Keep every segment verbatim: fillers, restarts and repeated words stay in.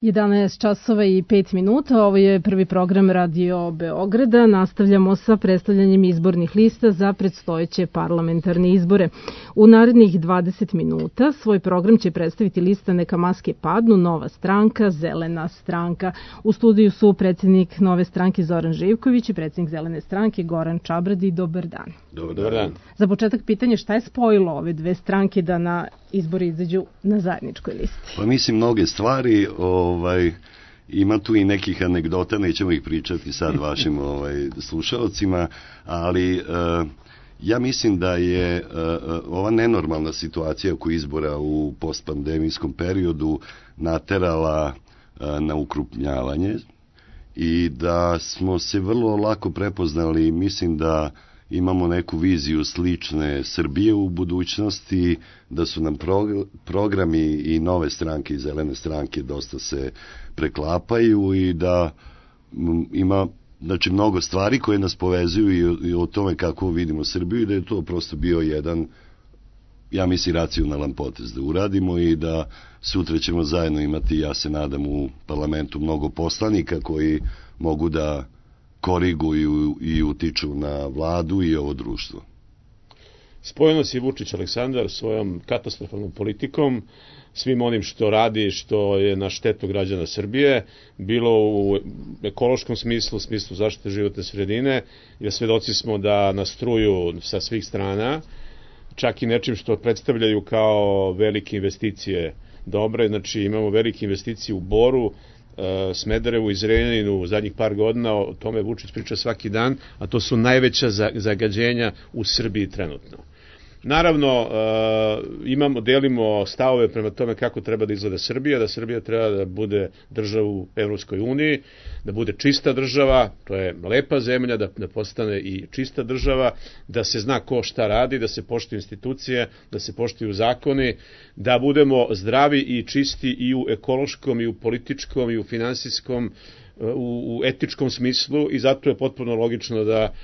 jedanaest časova i pet minuta, ovo je prvi program Radio Beograda. Nastavljamo sa predstavljanjem izbornih lista za predstojeće parlamentarne izbore. U narednih dvadeset minuta svoj program će predstaviti lista Neka maske padnu, Nova stranka, Zelena stranka. U studiju su predsjednik Nove stranke Zoran Živković i predsjednik Zelene stranke Goran Čabradi. Dobar dan. Dobar dan. Za početak pitanje, šta je spojilo ove dve stranke da na izbori izađu na zajedničkoj listi? Pa mislim mnoge stvari, ovaj, ima tu i nekih anegdota, nećemo ih pričati sad vašim ovaj, slušalcima, ali e, ja mislim da je e, ova nenormalna situacija oko izbora u postpandemijskom periodu naterala e, na ukrupnjavanje i da smo se vrlo lako prepoznali. Mislim da imamo neku viziju slične Srbije u budućnosti, da su nam programi i Nove stranke i Zelene stranke dosta se preklapaju i da ima, znači, mnogo stvari koje nas povezuju i o tome kako vidimo Srbiju i da je to prosto bio jedan, ja mislim, racionalan potez da uradimo i da sutra ćemo zajedno imati, ja se nadam, u parlamentu mnogo poslanika koji mogu da koriguju i utiču na vladu i ovo društvo. Spojeno si Vučić Aleksandar svojom katastrofalnom politikom, svim onim što radi, što je na štetu građana Srbije, bilo u ekološkom smislu, u smislu zaštite životne sredine, jer svedoci smo da nas truju sa svih strana, čak i nečim što predstavljaju kao velike investicije dobre. Znači imamo velike investicije u Boru, Smederevu i Zrenjaninu u zadnjih par godina, o tome Vučić priča svaki dan, a to su najveća zagađenja u Srbiji trenutno. Naravno, imamo, delimo stavove prema tome kako treba da izgleda Srbija, da Srbija treba da bude država u Evropskoj uniji, da bude čista država, to je lepa zemlja, da, da postane i čista država, da se zna ko šta radi, da se poštuju institucije, da se poštuju zakoni, da budemo zdravi i čisti i u ekološkom, i u političkom, i u finansijskom, u, u etičkom smislu, i zato je potpuno logično da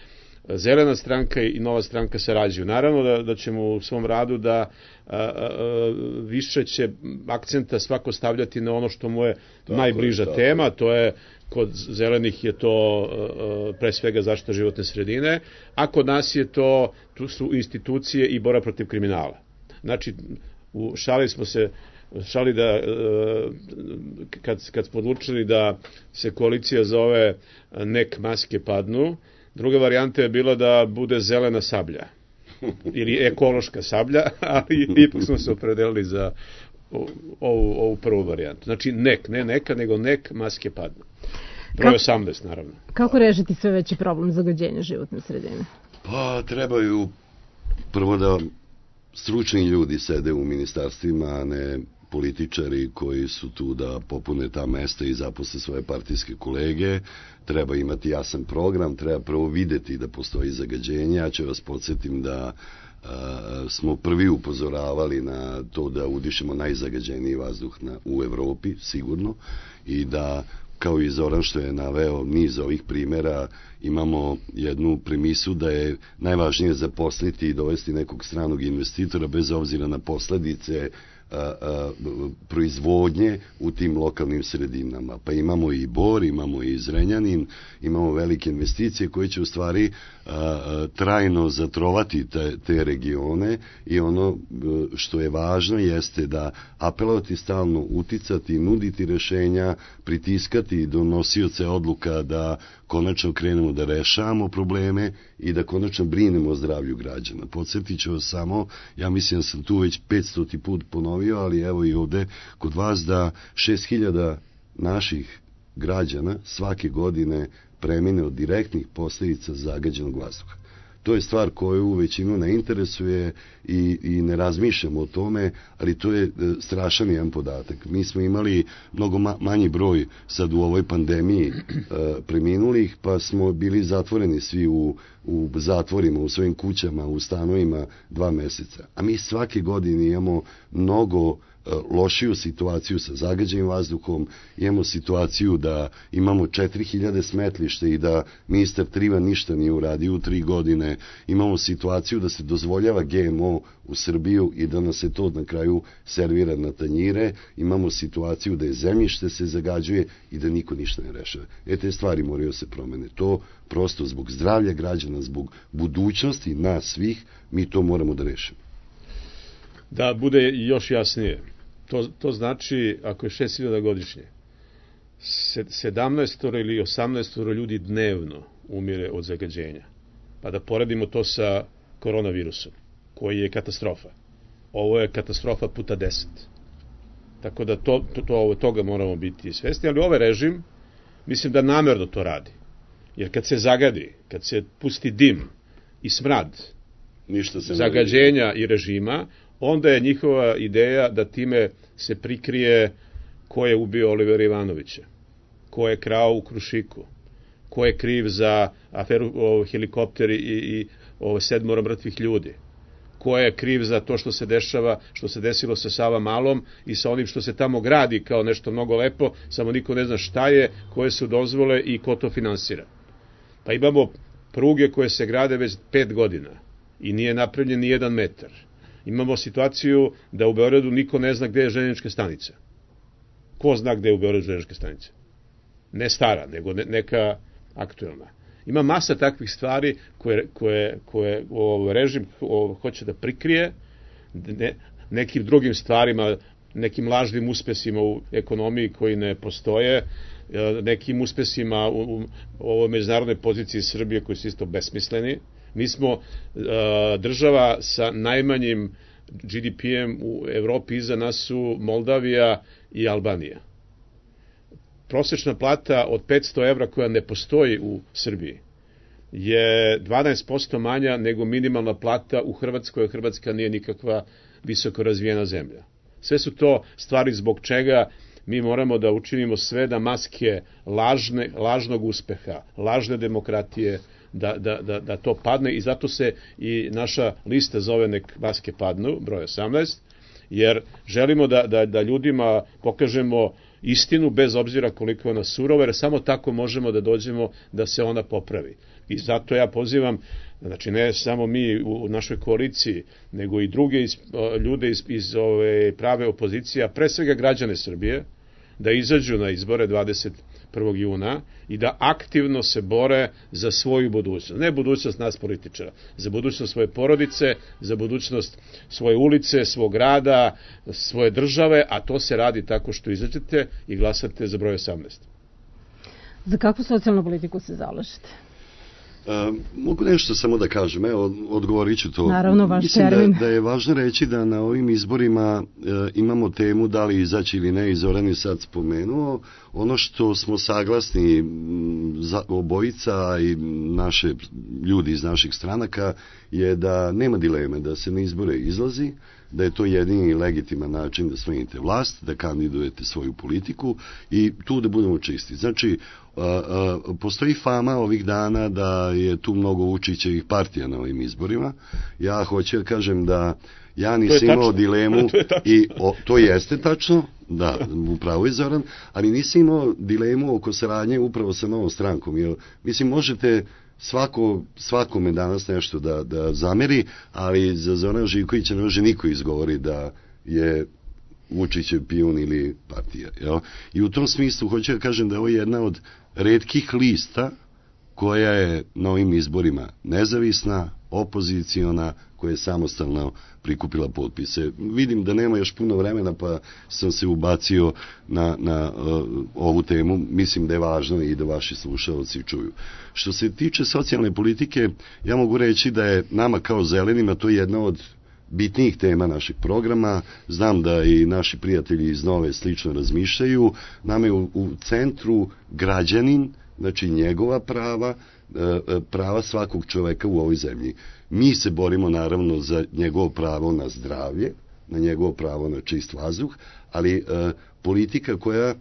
Zelena stranka i Nova stranka sarađuju. Naravno da, da ćemo u svom radu da a, a, više će akcenta svako stavljati na ono što mu je tako najbliža je, tema, to je, kod Zelenih je to a, pre svega zaštita životne sredine, a kod nas je to, tu su institucije i borba protiv kriminala. Znači, u šali smo se šali da kad, kad smo odlučili da se koalicija zove Nek maske padnu, druga varijanta je bila da bude zelena sablja ili ekološka sablja, ali ipak smo se opredelili za ovu, ovu prvu varijantu. Znači nek, ne neka, nego nek maske padnu. Broj osamnaest, naravno. Kako rešiti sve veći problem zagađenja životne sredine? Pa trebaju prvo da stručni ljudi sede u ministarstvima, a ne političari koji su tu da popune ta mesta i zaposle svoje partijske kolege. Treba imati jasan program, treba prvo videti da postoji zagađenje. Ja ću vas podsjetim da a, smo prvi upozoravali na to da udišemo najzagađeniji vazduh na, u Evropi, sigurno, i da, kao i Zoran što je naveo niz ovih primjera, imamo jednu premisu da je najvažnije zaposliti i dovesti nekog stranog investitora bez obzira na posledice A, a, proizvodnje u tim lokalnim sredinama. Pa imamo i Bor, imamo i Zrenjanin, imamo velike investicije koje će u stvari a, a, trajno zatrovati te, te regione, i ono što je važno jeste da apelovati stalno, uticati, nuditi rešenja, pritiskati donosioce odluka da konačno krenemo da rešavamo probleme i da konačno brinemo o zdravlju građana. Podsjetit ću vas samo, ja mislim da sam tu već petstoti put ponovio, ali evo i ovde kod vas, da šest hiljada naših građana svake godine premine od direktnih posljedica zagađenog vazduha. To je stvar koju većinu ne interesuje i, i ne razmišljamo o tome, ali to je strašan jedan podatak. Mi smo imali mnogo ma, manji broj sad u ovoj pandemiji e, preminulih, pa smo bili zatvoreni svi u, u zatvorima, u svojim kućama, u stanovima dva meseca. A mi svake godine imamo mnogo lošiju situaciju sa zagađenim vazduhom, imamo situaciju da imamo četiri hiljade smetlište i da ministar Trivan ništa nije uradio u tri godine, imamo situaciju da se dozvoljava G M O u Srbiju i da nas se to na kraju servira na tanjire, imamo situaciju da je zemljište se zagađuje i da niko ništa ne rešava. E, te stvari moraju se promene. To prosto zbog zdravlja građana, zbog budućnosti nas svih, mi to moramo da rešimo. Da bude još jasnije, to, to znači, ako je šest hiljada godišnje, sedamnaest ili osamnaest ljudi dnevno umire od zagađenja. Pa da poredimo to sa koronavirusom, koji je katastrofa. Ovo je katastrofa puta deset. Tako da to, to, to, toga moramo biti svesni, ali ovaj režim, mislim da namerno to radi. Jer kad se zagadi, kad se pusti dim i smrad ništa se zagađenja i režima, onda je njihova ideja da time se prikrije ko je ubio Olivera Ivanovića, ko je krao u Krušiku, ko je kriv za aferu o, helikopteri i, i o, sedmoro mrtvih ljudi, ko je kriv za to što se dešava, što se desilo sa Sava Malom i sa onim što se tamo gradi kao nešto mnogo lepo, samo niko ne zna šta je, koje su dozvole i ko to finansira. Pa imamo pruge koje se grade već pet godina i nije napravljen ni jedan metar. Imamo situaciju da u Beogradu niko ne zna gde je željeznička stanica. Ko zna gde je u Beogradu željeznička stanica? Ne stara, nego ne, neka aktuelna. Ima masa takvih stvari koje, koje, koje o, režim o, hoće da prikrije ne, nekim drugim stvarima, nekim lažnim uspesima u ekonomiji koji ne postoje, nekim uspesima u, u ovoj međunarodnoj poziciji Srbije koji su isto besmisleni. Mi smo uh, država sa najmanjim G D P-em u Evropi, iza nas su Moldavija i Albanija. Prosečna plata od petsto evra koja ne postoji u Srbiji je dvanaest posto manja nego minimalna plata u Hrvatskoj, a Hrvatska nije nikakva visoko razvijena zemlja. Sve su to stvari zbog čega mi moramo da učinimo sve da maske lažne, lažnog uspeha, lažne demokratije, Da, da, da, da to padne i zato se i naša lista zove Nek maske padnu, broj osamnaest, jer želimo da, da, da ljudima pokažemo istinu bez obzira koliko je ona surova, jer samo tako možemo da dođemo da se ona popravi. I zato ja pozivam, znači ne samo mi u našoj koaliciji, nego i druge iz, ljude iz, iz ove prave opozicije, a pre svega građane Srbije, da izađu na izbore dvadeset prvog juna i da aktivno se bore za svoju budućnost. Ne budućnost nas političara, za budućnost svoje porodice, za budućnost svoje ulice, svog grada, svoje države, a to se radi tako što izađete i glasate za broj osamnaest. Za kakvu socijalnu politiku se zalažete? Uh, mogu nešto samo da kažem, evo, odgovorit ću to. Naravno, vaš Mislim termin. da, da je važno reći da na ovim izborima uh, imamo temu da li izaći ili ne, i Zoran je sad spomenuo. Ono što smo saglasni m, za, obojica i naše ljudi iz naših stranaka je da nema dileme da se na izbore izlazi, da je to jedini legitiman način da smenite vlast, da kandidujete svoju politiku i tu da budemo čisti. Znači, a, a, postoji fama ovih dana da je tu mnogo Vučićevih partija na ovim izborima. Ja hoću da kažem da ja nisam imao dilemu i o, to jeste tačno, da, upravo je Zoran, ali nisam imao dilemu oko saradnje upravo sa novom strankom, jer mislim možete svako, svakome danas nešto da, da zameri, ali za Zorana Živkovića ne može niko izgovori da je Vučićev pijun ili partija. Jel? I u tom smislu hoću da kažem da je ovo jedna od retkih lista koja je na ovim izborima nezavisna, opoziciona, koja je samostalno prikupila potpise. Vidim da nema još puno vremena, pa sam se ubacio na, na uh, ovu temu. Mislim da je važno i da vaši slušalci čuju. Što se tiče socijalne politike, ja mogu reći da je nama kao zelenima to jedna od bitnijih tema našeg programa. Znam da i naši prijatelji iz Nove slično razmišljaju. Nama je u, u centru građanin, znači njegova prava, prava svakog čoveka u ovoj zemlji. Mi se borimo naravno za njegovo pravo na zdravlje, na njegovo pravo na čist vazduh, ali e, politika koja e,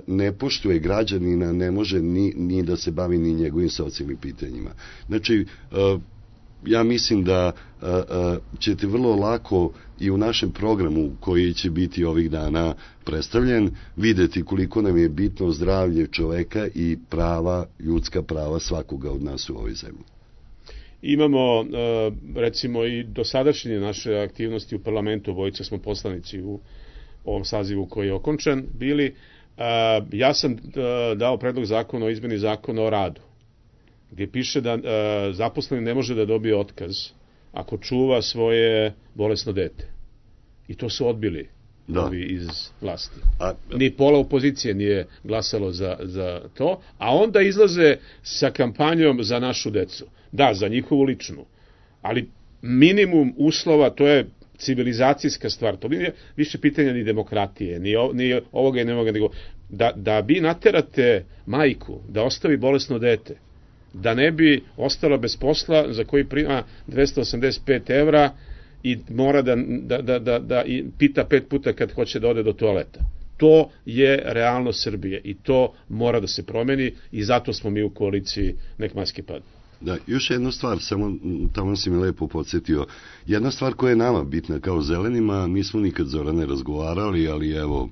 ne poštuje građanina ne može ni, ni da se bavi ni njegovim socijalnim pitanjima. Znači, e, ja mislim da a, a, ćete vrlo lako i u našem programu koji će biti ovih dana predstavljen videti koliko nam je bitno zdravlje čoveka i prava, ljudska prava svakoga od nas u ovoj zemlji. Imamo, recimo, i dosadašnje naše aktivnosti u parlamentu, obojica smo poslanici u ovom sazivu koji je okončan bili. Ja sam dao predlog zakona o izmeni zakona o radu, gdje piše da zaposleni ne može da dobije otkaz ako čuva svoje bolesno dete. I to su odbili da. Ovi iz vlasti. A, ni pola opozicije nije glasalo za, za to, a onda izlaze sa kampanjom za našu decu. Da, za njihovu ličnu. Ali minimum uslova, to je civilizacijska stvar. To nije više pitanja ni demokratije, ni, ni ovoga i nemoga, nego da, da vi naterate majku da ostavi bolesno dete, da ne bi ostala bez posla za koji prima dvesta osamdeset pet evra i mora da, da, da, da, da i pita pet puta kad hoće da ode do toaleta. To je realnost Srbije i to mora da se promeni i zato smo mi u koaliciji Nek maske padnu. Da, još jedna stvar, samo tamo si mi lepo podsjetio. Jedna stvar koja je nama bitna kao zelenima, nismo nikad Zorane razgovarali, ali evo,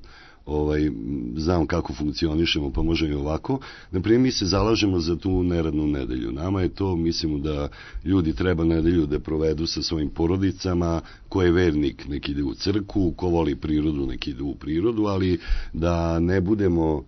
ovaj, znam kako funkcionišemo, pa možemo i ovako. Naprimjer, mi se zalažemo za tu neradnu nedelju. Nama je to, mislimo da ljudi treba nedelju da provedu sa svojim porodicama, ko je vernik nek ide u crkvu, ko voli prirodu nek ide u prirodu, ali da ne budemo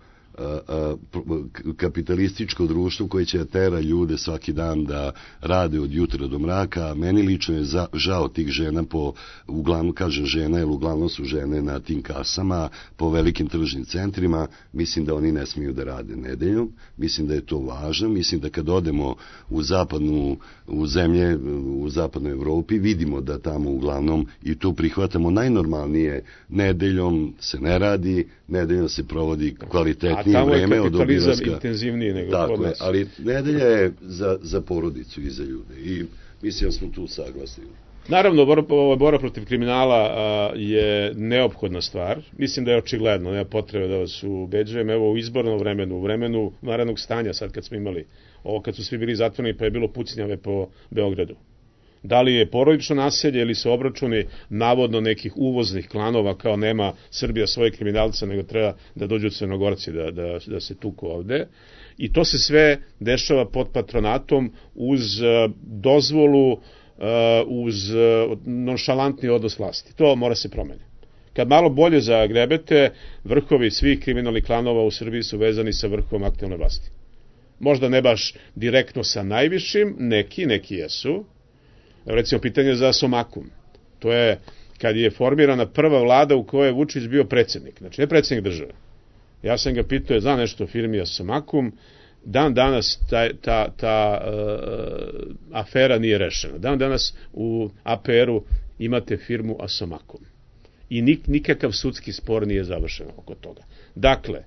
kapitalističko društvo koje će tera ljude svaki dan da rade od jutra do mraka. Meni lično je za, žao tih žena po, uglavnom kažem žena, jer uglavnom su žene na tim kasama, po velikim tržnim centrima. Mislim da oni ne smiju da rade nedeljom. Mislim da je to važno. Mislim da kad odemo u zapadnu, u zemlje, u zapadnoj Evropi, vidimo da tamo uglavnom i tu prihvatamo najnormalnije. Nedeljom se ne radi, nedeljom se provodi kvalitetnije vreme od obilaska. A tamo je kapitalizam intenzivniji nego tako kod nas. Je, ali nedelja je za, za porodicu i za ljude i mislim da smo tu saglasni. Naravno, borba, borba protiv kriminala a, je neophodna stvar. Mislim da je očigledno, nema potrebe da vas ubeđujem. Evo u izbornom vremenu, u vremenu vanrednog stanja, sad kad smo imali ovo, kad su svi bili zatvoreni pa je bilo pucnjave po Beogradu. Da li je porodično naselje ili su obračuni navodno nekih uvoznih klanova kao nema Srbija svoje kriminalce nego treba da dođu Crnogorci da, da, da se tuku ovde. I to se sve dešava pod patronatom uz uh, dozvolu, uh, uz uh, nonšalantni odnos vlasti. To mora se promeniti. Kad malo bolje zagrebete, vrhovi svih kriminalnih klanova u Srbiji su vezani sa vrhom aktuelne vlasti. Možda ne baš direktno sa najvišim, neki, neki jesu. Recimo, pitanje za Somakum. To je kad je formirana prva vlada u kojoj je Vučić bio predsjednik. Znači, ne predsjednik države. Ja sam ga pitao, je zna nešto o firmi Somakum. Dan danas ta, ta, ta uh, afera nije rešena. Dan danas u A P R-u imate firmu Asomakum. I nik, nikakav sudski spor nije završen oko toga. Dakle,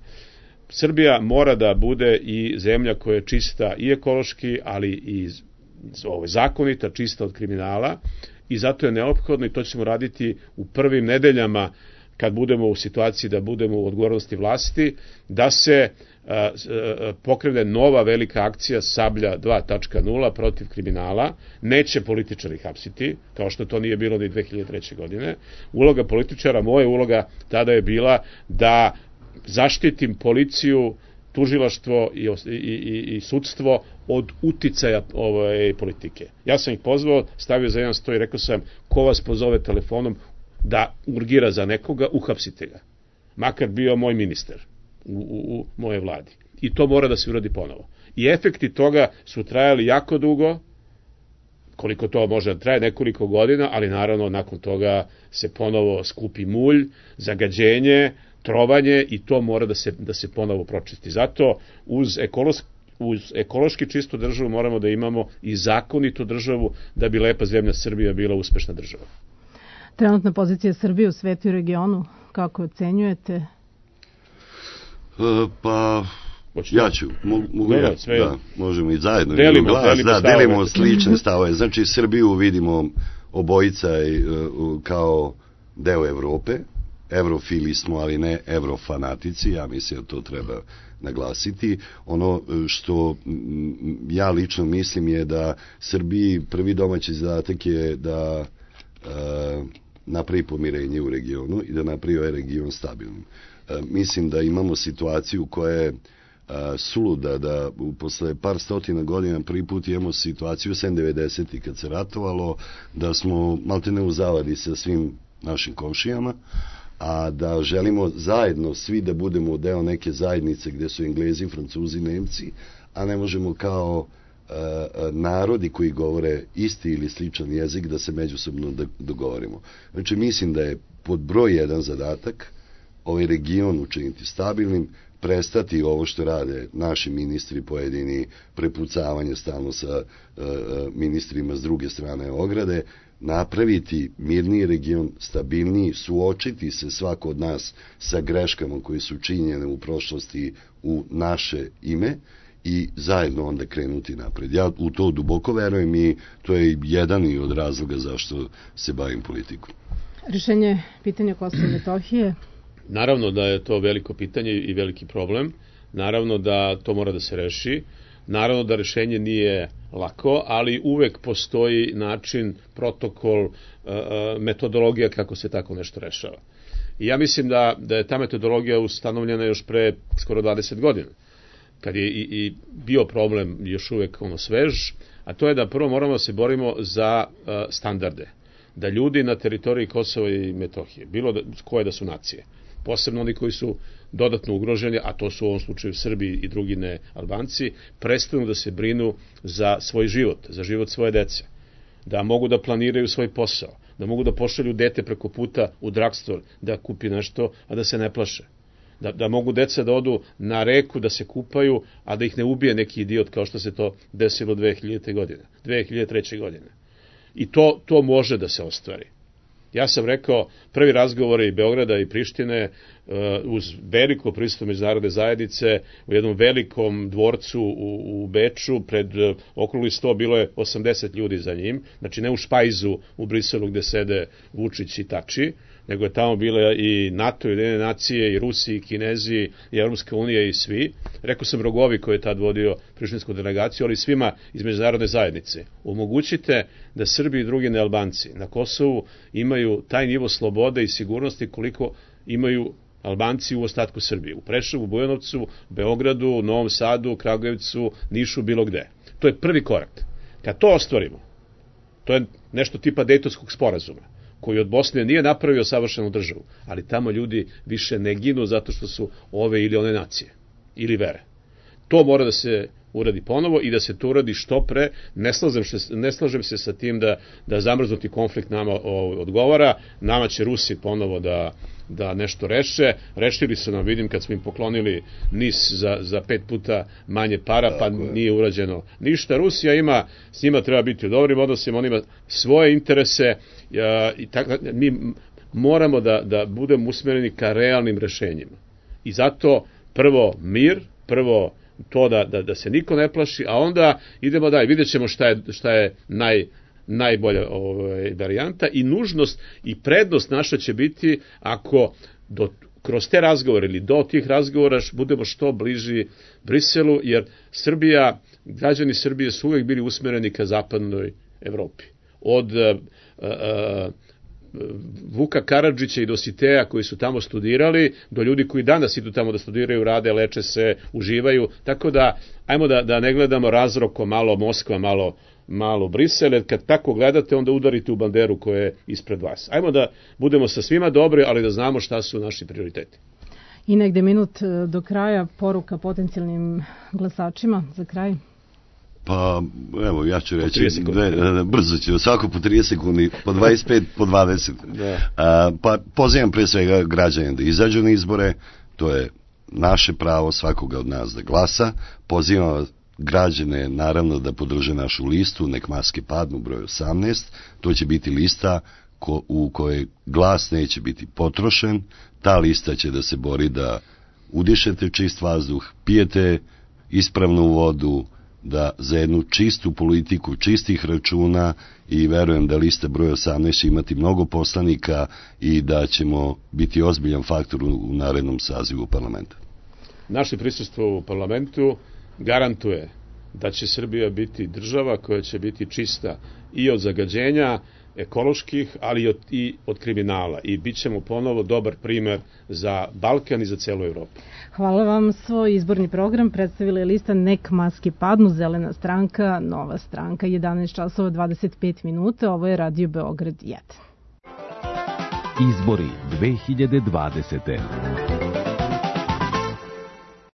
Srbija mora da bude i zemlja koja je čista i ekološki, ali i ovo, zakonita, čista od kriminala i zato je neophodno i to ćemo raditi u prvim nedeljama kad budemo u situaciji da budemo u odgovornosti vlasti, da se a, a, pokrene nova velika akcija Sablja dva tačka nula protiv kriminala. Neće političari hapsiti, kao što to nije bilo ni dve hiljade treće. godine. Uloga političara, moja uloga tada je bila da zaštitim policiju, tužilaštvo i, i, i, i sudstvo od uticaja ove politike. Ja sam ih pozvao, stavio za jedan sto i rekao sam, ko vas pozove telefonom da urgira za nekoga, uhapsite ga. Makar bio moj ministar u, u, u moje vladi. I to mora da se uradi ponovo. I efekti toga su trajali jako dugo, koliko to može da traje, nekoliko godina, ali naravno nakon toga se ponovo skupi mulj, zagađenje, trovanje i to mora da se, da se ponovo pročisti. Zato uz ekološki uz ekološki čistu državu moramo da imamo i zakonitu državu da bi lepa zemlja Srbija bila uspešna država. Trenutna pozicija Srbije u svetu i regionu, kako ocenjujete? E, pa, ja ću, mogu, mogu ja, sve da, možemo i zajedno. Delimo, glas, delimo, da, delimo slične stavove. Znači, Srbiju vidimo obojica kao deo Evrope, evrofili smo, ali ne evrofanatici, ja mislim da to treba naglasiti. Ono što ja lično mislim je da Srbiji prvi domaći zadatak je da e, napravi pomirenje u regionu i da napravi ovaj region stabilnim. E, mislim da imamo situaciju koja je a, suluda, da posle par stotina godina prvi put imamo situaciju sem devedesetih kad se ratovalo, da smo maltene u zavadi sa svim našim komšijama, a da želimo zajedno svi da budemo deo neke zajednice gde su Englezi, Francuzi, Nemci, a ne možemo kao uh, narodi koji govore isti ili sličan jezik da se međusobno dogovorimo. Znači, mislim da je pod broj jedan zadatak ovaj region učiniti stabilnim, prestati ovo što rade naši ministri pojedini, prepucavanje stalno sa uh, ministrima s druge strane ograde, napraviti mirniji region, stabilniji, suočiti se svako od nas sa greškama koje su činjene u prošlosti u naše ime i zajedno onda krenuti napred. Ja u to duboko verujem i to je jedan i od razloga zašto se bavim politikom. Rešenje pitanja Kosova i Metohije? Naravno da je to veliko pitanje i veliki problem. Naravno da to mora da se reši. Naravno da rešenje nije lako, ali uvek postoji način, protokol, metodologija kako se tako nešto rešava. I ja mislim da, da je ta metodologija ustanovljena još pre skoro dvadeset godina, kad je i, i bio problem još uvek ono svež, a to je da prvo moramo da se borimo za uh, standarde. Da ljudi na teritoriji Kosova i Metohije, bilo da, koje da su nacije, posebno oni koji su dodatno ugroženi, a to su u ovom slučaju Srbi i drugi ne Albanci, prestanu da se brinu za svoj život, za život svoje dece, da mogu da planiraju svoj posao, da mogu da pošalju dete preko puta u drugstore da kupi nešto, a da se ne plaše, da, da mogu deca da odu na reku, da se kupaju, a da ih ne ubije neki idiot kao što se to desilo dve hiljadite godine, dve hiljade treće. godine. I to, to može da se ostvari. Ja sam rekao, prvi razgovori Beograda i Prištine uz veliko prisustvo međunarodne zajednice u jednom velikom dvorcu u, u Beču, pred okrugli sto bilo je osamdeset ljudi za njim, znači ne u špajzu u Briselu gde sede Vučić i Tači, nego je tamo bila i NATO, i Ujedinjene nacije, i Rusi, i Kinezi, i Evropska unija i svi. Rekao sam Rogovi koji je tad vodio prištinsku delegaciju, ali svima iz međunarodne zajednice. Omogućite da Srbi i drugi nealbanci na Kosovu imaju taj nivo slobode i sigurnosti koliko imaju Albanci u ostatku Srbije. U Preševu, Bujanovcu, Beogradu, Novom Sadu, Kragujevcu, Nišu, bilo gde. To je prvi korak. Kad to ostvarimo, to je nešto tipa Dejtonskog sporazuma, koji od Bosne nije napravio savršenu državu, ali tamo ljudi više ne ginu zato što su ove ili one nacije, ili vere. To mora da se uradi ponovo i da se to uradi što pre. Ne slažem se, ne slažem se sa tim da, da zamrznuti konflikt nama odgovara. Nama će Rusi ponovo da, da nešto reše. Rešili su nam, vidim, kad smo im poklonili NIS za, za pet puta manje para, pa nije urađeno ništa. Rusija ima, s njima treba biti u dobrim odnosima, on ima svoje interese i tako, mi moramo da, da budemo usmereni ka realnim rešenjima. I zato prvo mir, prvo to da, da, da se niko ne plaši, a onda idemo dalje, vidjet ćemo šta je, šta je naj, najbolja ovaj, varijanta i nužnost i prednost naša će biti ako do, kroz te razgovore ili do tih razgovora budemo što bliži Briselu, jer Srbija, građani Srbije su uvek bili usmereni ka zapadnoj Evropi. Od a, a, Vuka Karadžića i Dositeja koji su tamo studirali, do ljudi koji danas idu tamo da studiraju, rade, leče se, uživaju, tako da ajmo da, da ne gledamo razroko malo Moskva, malo, malo Brisel, jer kad tako gledate onda udarite u banderu koja je ispred vas. Ajmo da budemo sa svima dobri, ali da znamo šta su naši prioriteti. I negde minut do kraja, poruka potencijalnim glasačima za kraj. Pa, evo, ja ću reći, dve, brzo ću, svako po trideset sekundi, po dvadeset pet, po dvadeset. Da. A, pa, pozivam pre svega građane da izađu na izbore, to je naše pravo svakoga od nas da glasa. Pozivam građane, naravno, da podrže našu listu, nek maske padnu, broj osamnaest, to će biti lista ko, u kojoj glas neće biti potrošen, ta lista će da se bori da udišete čist vazduh, pijete ispravnu vodu, da za jednu čistu politiku, čistih računa, i verujem da lista broj osamnaest će imati mnogo poslanika i da ćemo biti ozbiljan faktor u narednom sazivu parlamenta. Naše prisustvo u parlamentu garantuje da će Srbija biti država koja će biti čista i od zagađenja ekoloških, ali i od, i od kriminala. I bit ćemo ponovo dobar primer za Balkan i za celu Evropu. Hvala vam. Svoj izborni program predstavila je lista Nek maske padnu, Zelena stranka, Nova stranka. jedanaest časova dvadeset pet minuta. Ovo je Radio Beograd jedan. Izbori dve hiljade dvadesete.